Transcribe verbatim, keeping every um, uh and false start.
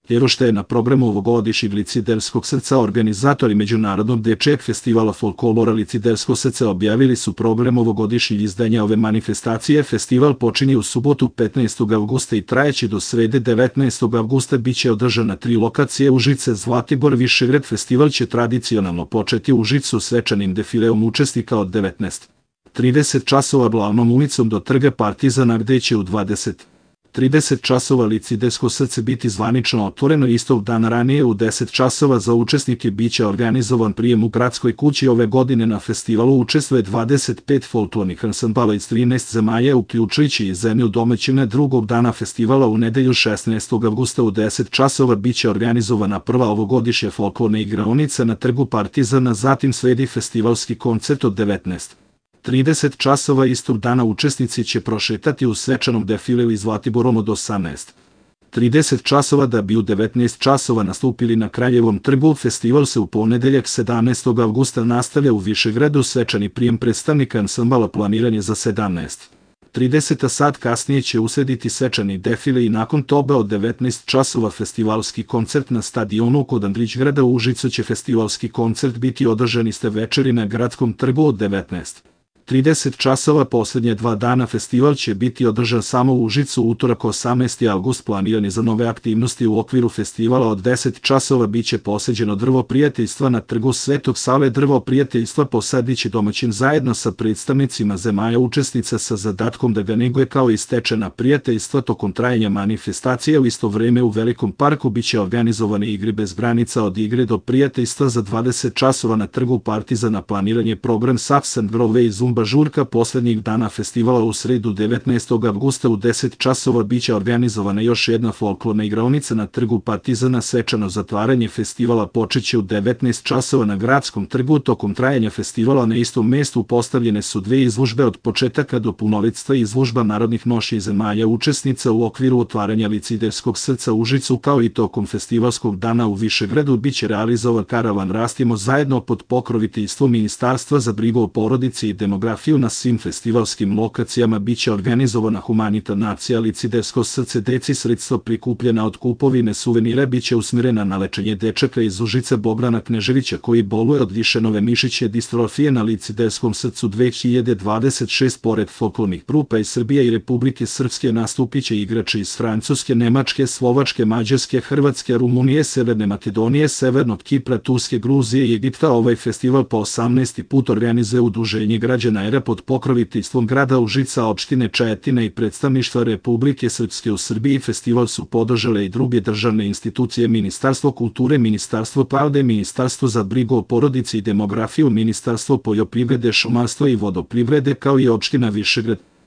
Jer što je na programu ovogodišnjeg Liciderskog srca organizatori Međunarodnog dečijeg festivala folklora Licidersko srce objavili su program ovogodišnjeg izdanja ove manifestacije. Festival počinje u subotu petnaestog avgusta i trajeći do srede devetnaestog avgusta. Biće održan na tri lokacije: Užice, Zlatibor, Višegrad. Festival će tradicionalno početi u Užicu svečanim defileom učesnika od devetnaest trideset časova glavnom ulicom do Trga Partizana, gde će u dvadeset trideset časova Licidersko srce biti zvanično otvoreno. Istog dana ranije u deset časova za učesnike biće organizovan prijem u Gradskoj kući. Ove godine na festivalu učestvuje dvadeset pet folklornih ansambala iz trinaest zemalja, uključujući i zemlju domaćina. Drugog dana festivala u nedelju šesnaestog avgusta u deset časova biće organizovana prva ovogodišnja folklorna igraonica na Trgu Partizana, zatim sledi festivalski koncert od devetnaest trideset časova. Istog dana učesnici će prošetati u svečanom defileu iz Zlatiborom od osamnaest trideset časova da bi u devetnaest časova nastupili na Kraljevom trgu. Festival se u ponedeljak sedamnaestog avgusta nastavlja u Višegradu. Svečani prijem predstavnika ansambala planiran je za sedamnaest trideset, a sat kasnije će uslediti svečani defile i nakon toga od devetnaest časova festivalski koncert na stadionu kod Andrićgrada. U Užicu će festivalski koncert biti održan iste večeri na Gradskom trgu od devetnaest trideset časova. Poslednje dva dana festival će biti održan samo u Užicu. Utorak osamnaesti avgust planiran je za nove aktivnosti. U okviru festivala od deset časova biće poseđeno drvo prijateljstva na Trgu Svetog Save. Drvo prijateljstva posadiće domaćin zajedno sa predstavnicima zemalja učesnica sa zadatkom da ga neguje kao i stečena prijateljstva tokom trajanja manifestacije. U isto vreme u Velikom parku biće organizovane igre bez granica, od igre do prijateljstva. Za dvadeset časova na Trgu Partizana planiran je program Saps and Grove i Zumba žurka. Poslednjih dana festivala u sredu devetnaestog avgusta u deset časova biće organizovana još jedna folklorna igraonica na Trgu Partizana. Svečano zatvaranje festivala počeće u devetnaest časova na Gradskom trgu. Tokom trajanja festivala na istom mestu postavljene su dve izložbe od početaka do punoletstva: izložba narodnih noši zemalja učesnica u okviru otvaranja Liciderskog srca u Užicu, kao i tokom festivalskog dana u Višegradu biće realizovan karavan Rastimo zajedno pod pokroviteljstvom Ministarstva za brigu o porodici i demografiju. Na svim festivalskim lokacijama biće organizovana humanitarna akcija Licidersko srce deci. Sredstva prikupljena od kupovine suvenira biće usmjerena na lečenje dečaka iz Užica Bogdana Kneževića koji boluje od višenove mišićne distrofije. Na Liciderskom srcu dve hiljade dvadeset šeste pored folklornih grupa iz Srbije i Republike Srpske nastupiće igrači iz Francuske, Nemačke, Slovačke, Mađarske, Hrvatske, Rumunije, Severne Makedonije, Severnog Kipra, Turske, Gruzije i Egipta. Ovaj festival po osamnaesti put organizuje Udruženje građana era pod pokroviteljstvom grada Užica, opštine Čajetina i predstavništva Republike Srpske u Srbiji. Festival su podržale i druge državne institucije: Ministarstvo kulture, Ministarstvo pravde, Ministarstvo za brigu o porodici i demografiju, Ministarstvo poljoprivrede, šumarstva i vodoprivrede, kao i opština Višegrad.